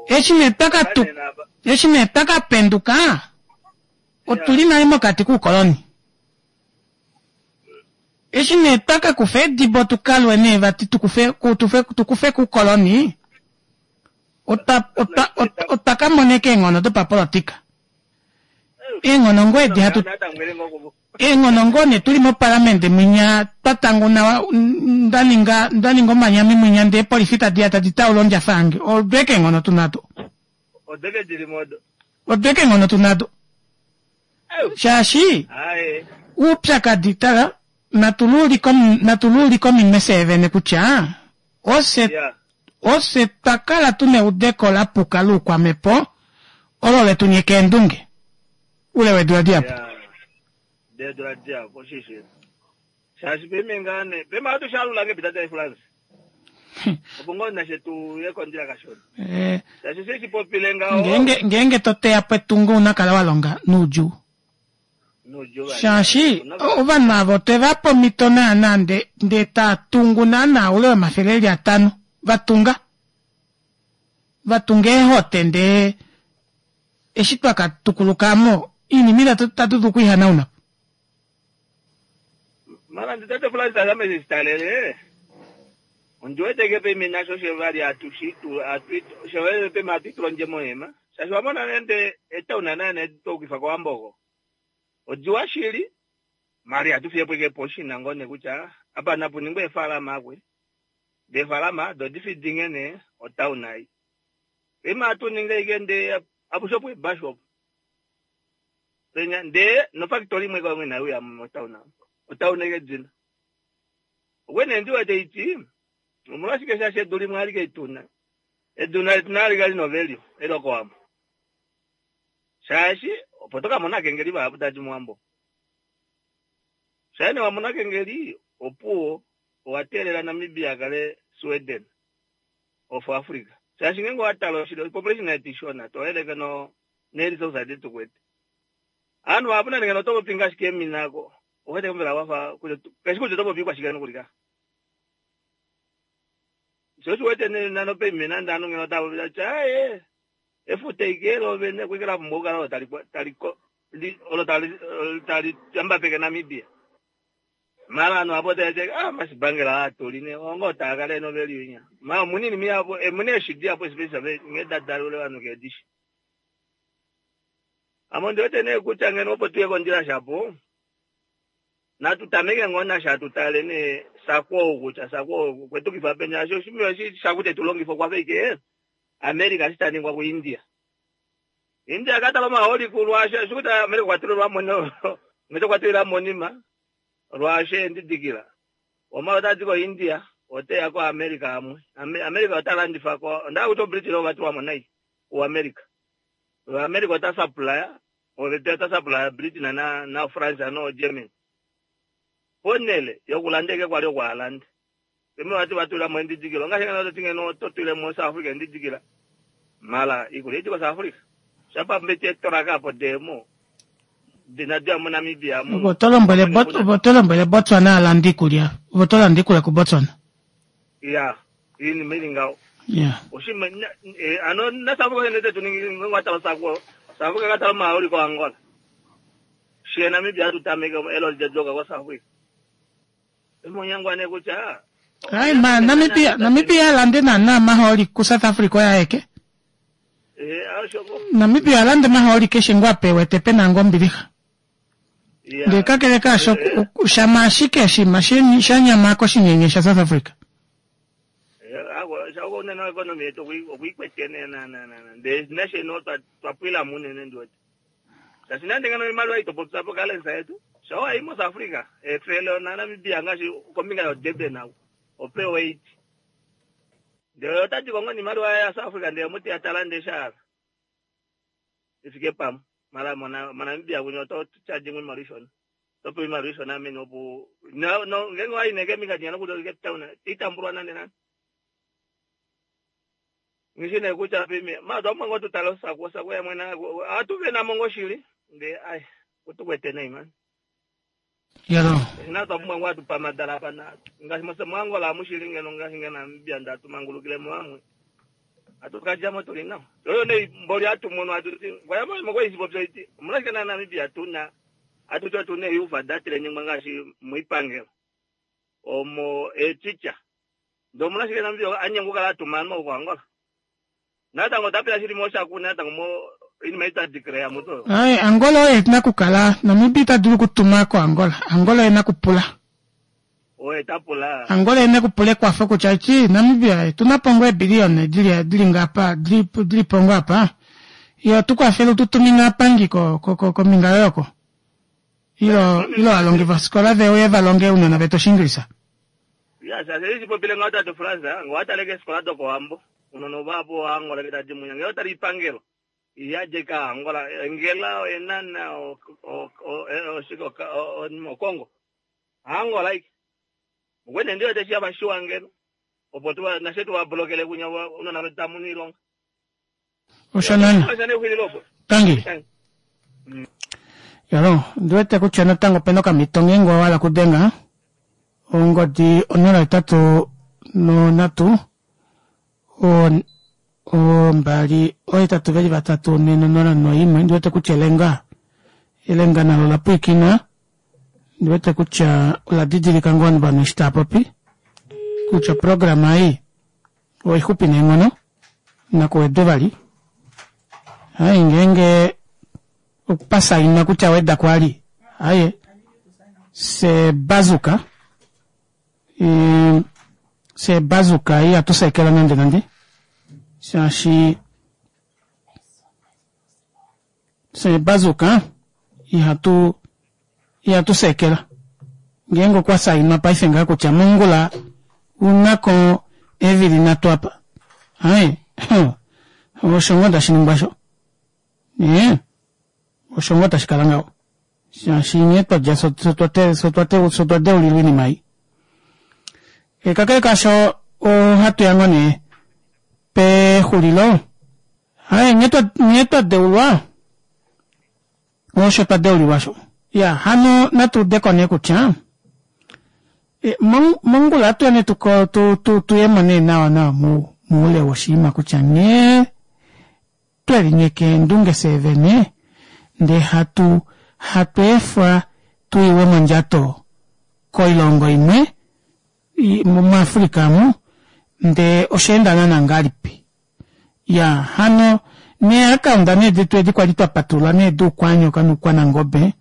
Speaker 1: eshi nee twakatu eshi nee twakapenduka otuli nale mokati kuukoloni eshi nee twakakufa edibo tukalwe nee vati tukufe ku- tufe- tukufe kuukoloni otwa otwa otwa- otwa kamoneka eenghono dopapolitika eenghono ngoo edi hatu Eenghono ngoo nee tuli mopalamende mwinya twa tanguna nda ninga nda ninga omanyami mwinya ndee polifi tadi ya tadi taula ondjafa yange. Odweke eenghono tu nado.
Speaker 10: Odeke dili modo.
Speaker 1: Odweke eenghono tu nado. Shaashi uupyakadi tala natuluulike ominwe fyee vene kutya ofye ofye twa kala tuna eudeko lapuka loukwamhepo olo letu nyeka eendunge ule weedula dihapu.
Speaker 10: Deedula dihapu oshishi. Shaashi peme ngaa nee peme ohatu shalula nge pitata eFrance. Opo ngoo nashe tu ye kondjila kashona.
Speaker 1: Eh,
Speaker 10: Shaashi she shi popile ngaho.
Speaker 1: ngeenge ngeenge to teya po etungo una kala wa longa noudjuu.
Speaker 10: Noudjuu vali.
Speaker 1: Shaashi ovanhu ava otwe va pa omhito naana nde ndee taa tungu naana oule womafele eli atano va tunga. Va tunga eehote ndee eshi twa ka tukuluka mo oinima itatu tatu dulu okuihanauna po.
Speaker 10: Mara ndi tate Francis ame shi talele. Ondi wete ke peme nasho she vali atushi tu atu she vali peme atu tulonje mohema. Shaashi wa mona nende etauna nane tokuifa kOwambo. Odiwa shili mari atu fiye po ke poshi nango ne kutya apa napu ningwe efalama akwe. De falama do difidinge ne otauna ei. Peme atu ninge ike nde apusho po basho. Penya nde no factory imwe kwa mwena uya motauna. Otauna ike dzina. Wene ndi wete iti omolwashike shaashi edu limwe alike ituna. Edu nali alike lina value elo kOwambo. Shaashi opo tokamona kengeli vahapu tadi mOwambo. Shaene wamona kengeli opuwo owa teelela Namibia akale Sweden of Africa. Shaashi ngenge owatala oshili population yetu ishona toyeleke no neresources adi tukwete. Ovanhu vahapu nande ngeno oto popi ngaashi keemina ako owete mbela wafa kashi kutya oto popi kwashike nokulika. Sho osho wete nano peimina nande ovanhu ngeno otava popi tati aaye efuta ike lovene kwike la pumbwa okukala olo tali tali olo tali tali yambapeke Namibia. Mara ovanhu apo tava ah mashibangela atuli ne ongo taa kale no value inya. Ma omunini miyapo emune eshi diapo especially nge dadalule ovanhu keedishi. Ame ondi wete nee kutya ngeno opo tuye kondjila shapo natu tameke ngoo nasha tutale nee sakwo kutya sakwo kwetukifa penya shaashi oshimaliwa eshi shaku tetu longifa okwafa ike America eshi taningwa ku India. India katala omahooli kulwasho eshi kutya America okwa tulilwa mo ngete okwa tulila monima lwasho endidikila. Omala otadi ko India oteya ko America amwe. America ota landifa ko onda kutya Britain ova tulwa mo nai ku America. America ota supply ota supply Britain na na France no Germany. Ponele yokulanda eke kwali okwaalanda. Peme vati vatulila mo endidikilo ngaashi ngeno toti ngeno totulile mo South Africa endidikila. Mala ikulya iti ko South Africa. Shapa mbeti etoraka apo demo. Dina mo Namibia mo.
Speaker 1: Opo to lombwele Bot- opo to lombwele Botswana alande iikulya. Opo to landa iikulya kuBotswana.
Speaker 10: Ya, iinima ili ngaho.
Speaker 1: Yeah.
Speaker 10: Oshima eh, ano na South Africa nete tuningi ngwatala sakwo. South Africa katala maoli ko Angola. Shiye Namibia tutameke elo lijajoka kwa South Africa. Emonyangwane kutya
Speaker 1: Ai ma Namibia Namibia alande naana omahooli kuSouth Africa oye aeke.
Speaker 10: eh ashoko.
Speaker 1: Namibia alande omahooli keshe ngoo apa ewete pena ngoo ombilixa.
Speaker 10: Ya.
Speaker 1: Ndee kakele kaasho shama ashike oshinima shanyama koshinyenye sha South Africa.
Speaker 10: Ako shako unene economy yetu okuikwete na na na na. Ndee nation twa twapwila munene ndiwete. Shaashi nande ngeno imaliwa itopopya po currency yetu. Shawa i mo South Africa. Efele na Namibia ngaashi kombinga yo Durban ako. Ope wait. Ndee otati kongo nimaliwa ya South Africa ndee muti atala ndee shala. Ifike pamwe. Mara mona Namibia kunyo oto charge imwe imaliwa ishona. Topewa imaliwa ishona amene opo no no ngenge waineke mingati yana kuti Cape Town itambulwa nande nande. Ngishine kutya pime ma twamwe ngo tutala sako sako ya mwena atuve na mongo shili ndee ai kutukwete nei man.
Speaker 1: Yalo.
Speaker 10: Na twamwe ngo atupa madala pana ngaashi mose mwangola mushili ngeno ngaashi ngeno Namibia ndatumangulukile mwamwe. Atukajamo tuli nawo. Oyo ne mboli atumono atuti ngwayamo mokwezi iti omulashike na Namibia tuna atuti tuna eyuva datile nyingwa ngaashi muipangelo omo eticha ndo omulashike Namibia anyengu kala atumana ko Angola. Natango tapela shili mo shaku natango mo Oinima ei twa declare muto.
Speaker 1: Ai, Angola oye ena okukala, Namibia ita dulu okutuma koAngola. Angola oye na okupula.
Speaker 10: Oye ta pula.
Speaker 1: Angola ena okupula ekwafo kutya eti Namibia otuna po ngoo eebiliyona dili dili ngapa dili dili po ngoo apa. Ye otu kwafele utu tumine aapangi ko ko ko kombinga yoye oko. Ilo ilo aalongi vofikola veuye va longe ounona vetu Oshiingilisa.
Speaker 10: Ya, shaashi eshi popile ngaho tate Frans, ngee owa tale keefikola dokOwambo, ounona ovahapu Ovaangola ke tadi munya. Ngee owa tale oipangelo, iyadi ashike Aangola, Engela, Oenana, o- o- o- oshike, oka- o- o- Okongo. Aangola ashike. Okwene ndi wete shava shiwa ngeno, opo tuva nashe tuva blokele kunya ounona vetu tamu oilonga.
Speaker 1: Osho nana.
Speaker 10: Osho nexulilo opo.
Speaker 1: Tangi.
Speaker 10: Tangi.
Speaker 1: Yalo, ndi wete kutya natango opena okamhito ngeenge owa hala okudenga ongodi onola hetatu nonhatu ombali ohetatu veli vatatu nhe nonola noimwe ndi wete kutya elenga elenga nalo ola pwiikina ndi wete kutya ola didilika ngoo ovanhu eshi tava popi kutya oprograma ei oixupi neenghono nakuwedwe vali hai ngeenge opasainwa kutya weda kwali aye se bazuka se bazuka ihatu sekela nande nande shaashi se bazuka ihatu ihatu sekela ngeenge okwa sainwa paife ngaha kutya mongula unako eevili nhatu apa aye osho ngoo tashi ningwa sho ee osho ngoo tashi kala ngaho shaashi nghee twadja fye otwa deulilwa oinima ei. Kakele kaasho ohatu ya ngoo nee pexulilo aye nghee twa deulwa osho twa deulilwa osho iyaa hano natu udeko nee kutya mongula ohatuya nee tuyemo nee nawa nawa moule woshinima kutya nghee twelinyeka eendunge fyee vene ndee hatu hatu efwa tuiwe mondjato koilongo imwe muAfrica omu ndee oshaenda naana ngahelipi. Iyaa hano nee akaunda nee detu edi kwali twapatulula nee duukwanyoka noukwanangobe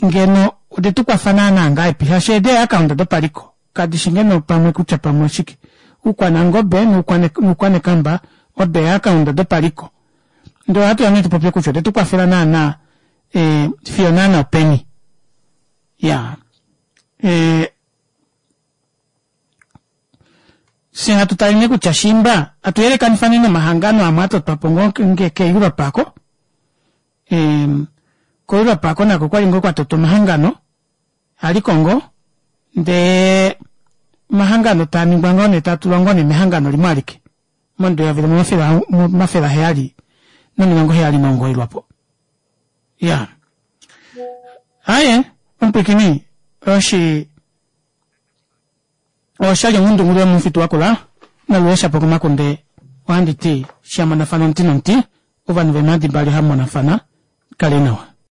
Speaker 1: ngeno odetukwafa naana ngahelipi shaashi edi eeakaunda dopaliko kadishi ngeno pamwe kutya pamwe oshike oukwanangobe noukwanekamba odo eeakaunda dopaliko ndee ohatuya nee tupopye kutya odetukwafela naana fiyo naana openi iyaa Fye hatu tale nee kutya shiimba atu yelekanifa nee nomahangano amwe atotwapo ngoo keEurope aako koEurope aako nako okwali ngoo kwatotwa omahangano aliko ngoo ndee omahangano taaningwa ngoo nee taatulwa ngoo nee mehangano limwe alike momudo eyovi limwe omafele aheyali nomilongo heyali nomugoyi lwapo. Iyaa aaye omupwiikini oshi oshali onghundunghulu yomufitu wakula naluheshapo komakunde ohandi ti shamonafana omuti nomuti ovanhu veemhadi mbali ohamu monafana kale nawa.